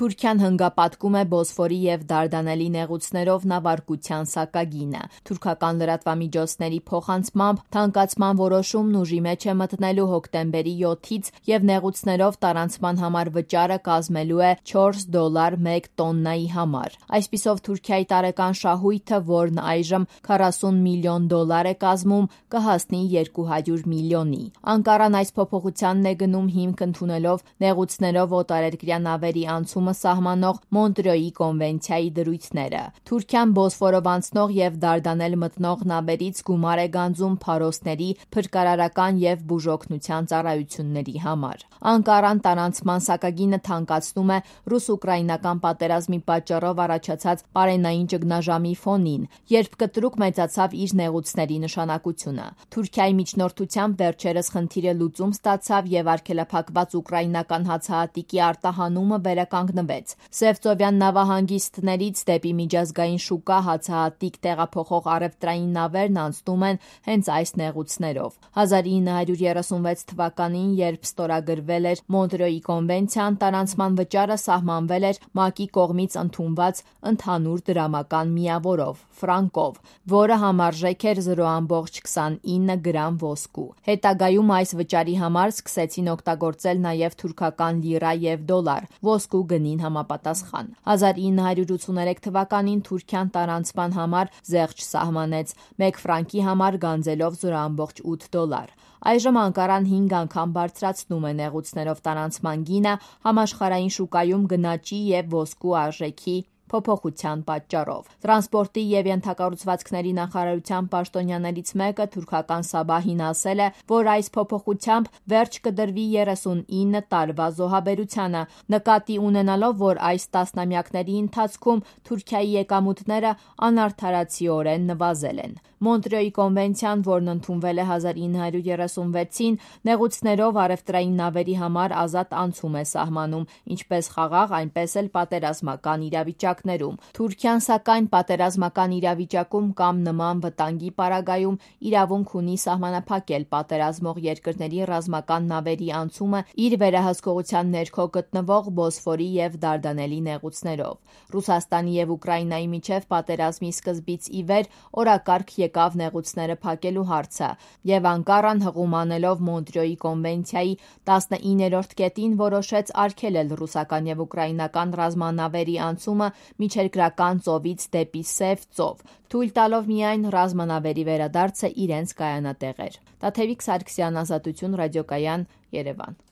Թուրքիան հնգապատկում է Բոսֆորի և Դարդանելի նեղուցներով նավարկության սակագինը։ Թուրքական լրատվամիջոցների փոխանցմամբ թանկացման որոշումն ուժի մեջ է մտնելու հոկտեմբերի 7-ից և նեղուցներով տարանցման համար վճարը կազմելու է $4 մեկ տոննայի համար։ Այսպիսով Թուրքիայի տարեկան շահույթը, որն այժմ $40 միլիոն է կազմում, կհասնի 200 միլիոնի։ Անկարան այս փոփոխությանն է գնում հիմք ընդունելով նեղուցներով օտարերկրյա նավերի անցումը սահմանող Մոնտրեոյի կոնվենցիայի դրույթները։ Թուրքիան Բոսֆորով անցնող և Դարդանել մտնող նավերից գումար է գանձում փարոսների փրկարարական և բուժօգնության ծառայությունների համար։ Անկարան տարանցման սակագինը թանկացնում է ռուս-ուկրաինական պատերազմի պատճառով առաջացած պարենային ճգնաժամի ֆոնին, երբ կտրուկ մեծացավ իր նեղուցների նշանակությունը։ Թուրքիայի միջնորդությամբ վերջերս խնդիրը լուծում ստացավ և արգելափակված ուկրաինական հացահատիկի արտահանումը վերականգնվեց։ Սևծովյան նավահանգիստներից դեպի միջազգային շուկա հացահատիկ տեղափոխող առևտրային նավերն անցնում են հենց այս նեղուցներով։ 1936 թվականին, երբ ստորագրվել էր Մոնտրեոյի կոնվենցիան, տարանցման վճարը սահմանվել էր ՄԱԿ-ի կողմից ընդունված ընդհանուր դրամական միավորով՝ ֆրանկով, որը համարժեք էր 0,29 գրամ ոսկու։ Հետագայում այս վճարի համար սկսեցին օգտագործել նաև թուրքական լիրա և դոլար՝ ոսկու գնին համապատասխան։ 1983 թվականին Թուրքիան տարանցման համար զեղչ սահմանեց՝ մեկ ֆրանկի համար գանձելով $0,8։ Այժմ Անկարան 5 անգամ բարձրացնում է նեղուցներով տարանցման գինը համաշխարհային շուկայում գնաճի և ոսկու արժեքի փոփոխության պատճառով։ Տրանսպորտի և ենթակառուցվածքների նախարարության պաշտոնյաներից մեկը թուրքական Սաբահին ասել է, որ այս փոփոխությամբ վերջ կդրվի 39 տարվա զոհաբերությանը՝ նկատի ունենալով, որ այս տասնամյակների ընթացքում Թուրքիայի եկամուտները անարդարացիորեն նվազել են։ Մոնտրեոյի կոնվենցիան, որն ընդունվել է 1936-ին, նեղուցներով առևտրային նավերի համար ազատ անցում է սահմանում ինչպես խաղաղ, այնպես էլ պատերազմական իրավիճակներում։ Թուրքիան, սակայն, պատերազմական իրավիճակում կամ նման վտանգի պարագայում իրավունք ունի սահմանափակել պատերազմող երկրների ռազմական նավերի անցումը իր վերահսկողության ներքո գտնվող Բոսֆորի և Դարդանելի նեղուցներով։ Ռուսաստանի և Ուկրաինայի միջև պատերազմի սկզբից ի վեր օրակարգ եկավ նեղուցները փակելու հարցը, և Անկարան, հղում անելով Մոնտրեոյի կոնվենցիայի 19-րդ կետին, որոշեց արգելել ռուսական և ուկրաինական ռազմանավերի անցումը միջերկրական ծովից դեպի Սև ծով, թույլ տալով միայն ռազմանավերի վերադարձը իրենց կայանատեղեր։ Տաթևիկ Սարգսյան, Ազատություն ռադիոկայան, Երևան։